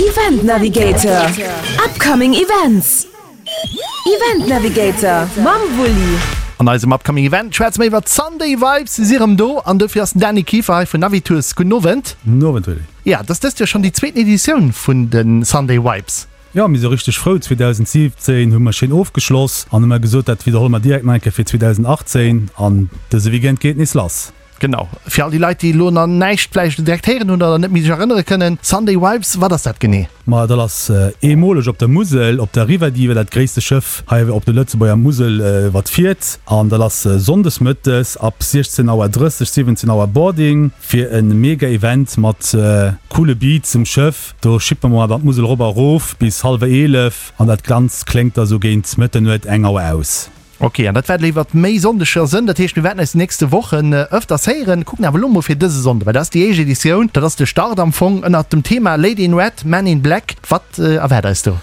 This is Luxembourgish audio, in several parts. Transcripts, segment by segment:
Event Navigator, Upcoming Events. Event Navigator mam Wulli. An eisem Upcoming Event schwätze mer iwwer d'Sunday Vibes. Si si rëm do an dofir ass den Dany Kieffer hei vun Navitours. Gudden Owend. Gudden Owend, Willy. Ja, et ass dëst Joer schonn déi zweeten Editioun vun de Sunday Vibes. Jo, mir si richteg frou. 2017 hu mer schéin ofgeschloss an hu mer gesot, dat widderholle mer direkt nach eng Kéier fir 2018 an dëse Weekend geet et nees lass. Genau. Fir all déi Leit, déi elo nach näischt vläicht direkt héieren hunn oder net méi sech erënnere kënnen, Sunday Vibes, wat ass dat genee? Ma dat ass eemoleg op der Musel, op der Riverdive, dat gréisste Schëff hei op der Lëtzebuerger Musel, wat fiert. An dat ass sonndes mëttes ab 16 Auer 30, 17 Auer Boarding fir e mega Event mat coole Beats um Schëff. Do schippe mer dann d'Musel erop a erof bis hallwer 11 an dat Ganzt kléngt da sou géint Mëtternuet, eng Auer aus. Ok, an dat wäert elo iwwert méi Sonndeger sënn. Dat heescht, mir wäerten eis déi nächste Wochen ëfters héieren. Kucken awer elo mol fir dëse Sonnde, well dat ass déi éischt Editioun, dat ass de Start am Fong ënnert dem Thema Lady in Red, Man in Black. Wat erwaart eis do?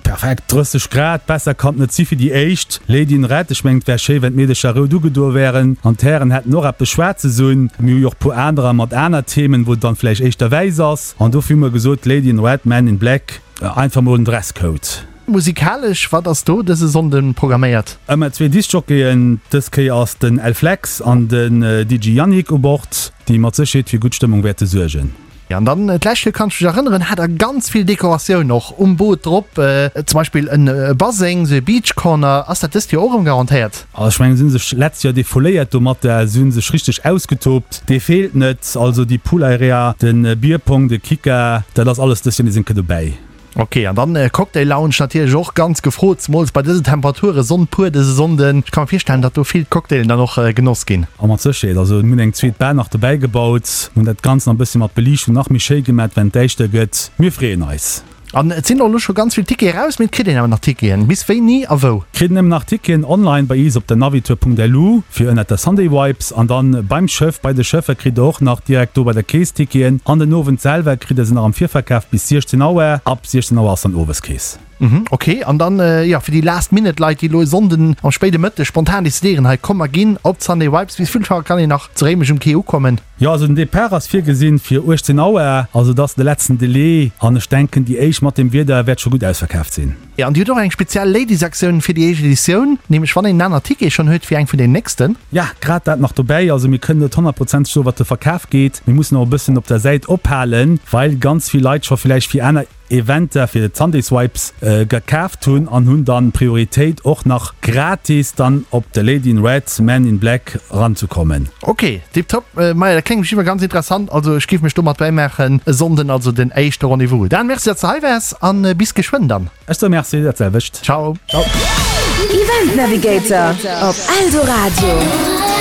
Perfekt, 30 Grad, besser kann et net si fir déi éischt Lady in Red. Ech mengen, et wär schéi, wenn d'Meedercher rout ugedoe wären an d'Hären hätten och eppes Schwaarzes un. Mir hu jo och puer anerer mat aner Themen, wou et dann vläicht éischter wäiss ass. An dofir hu mer gesot, Lady in Red, Man in Black, einfach mol en Dresscode. Musikalesch, wat ass do dëse Sonnde programméiert? Ëmmer zwee Discjockeyen, dës Kéier ass den El Flex an den DJ Yannick u Bord, déi mat Sécherheet fir gutt Stëmmung wäerte suergen. An dann d'lescht Joer, kann ech mech erënneren, hat der ganz vill Dekoratioun och um Boot drop, zum Beispill en Baseng, sou e Beach Corner. Ass dat dëst Joer och erëm garantéiert? Also ech mengen, si hunn sech letzt Joer defouléiert domatter, si hunn sech richteg ausgetoobt, dee feelt net. Also déi Pool Area, de Bierpong, de Kika, dat ass alles dëst Joer nees eng Kéier dobäi. Ok, an dann Cocktail Lounge natierlech och ganz gefrot, zemools bei dësen Temperaturen, Sonn pur dëse Sonnden. Ech ka mer virstellen, datt do vill Cocktailen dann och genoss ginn. A mat Sécherheet, also mir hunn eng zweet Bar nach dobäi gebaut, hunn dat Ganzt nach e bëssi mat Beliichtung nach méi schéi gemat, wenn et däischter gëtt. Mir freeën eis. An et sinn och elo scho ganz vill Tickete raus, mee et kritt een awer nach Ticketen. Bis wéini a wou? Kritt nëmmen nach Ticketen online bei iis op der Navitour.lu fir ënnert der Sunday Vibes an dann beim Schëff, bei de Schëffer kritt der och nach direkt do bei der Kees Ticketen an den Owend selwer kritt der se nach am Virverkaf bis 16 Auer. Ab 16 Auer ass dann Oweskees. Mhm, ok. An dann, jo, fir déi Last Minute Leit, déi elo e Sonnden am spéide Mëtteg spontan decidéieren, hei komm mer ginn op d'Sunday Vibes, bis wéivill Auer kann een nach zu Réimech um Quai ukommen? Jo, also den Depart ass virgesinn fir 18 Auer, also dat ass de letzten Delai an ech denken déi éischt mat dem Wieder wäert scho gutt ausverkaaft sinn. Jo, an Dir hutt och eng speziell Ladies-Aktioun fir déi éischt Editioun, nämlech wann een en aner Ticket schonn huet fir eng vun den nächsten. Ja, grad dat nach dobäi. Also mir kënnen net honnertprozenteg soen, wat de Verkaf geet. Mir mussen och e bëssen op der Säit ophalen, well ganz vill Leit scho villäicht fir aner Eventer, fir d'Sunday Swipes gekaaft hunn an hunn dann d'Prioritéit och nach gratis dann op de Lady in Red, Man in Black eranzekommen. Ok, tiptop. Maja, dat kléngt iwwer ganz interessant. Also ech géif mech do mat bäimaachen. E Sonnden also den éischte Rendez-vous. Dan, merci, datt s de hei waars an bis geschwënn dann. Ech soe Merci, dat selwecht. Ciao. Ciao. Event Navigator op Eldoradio.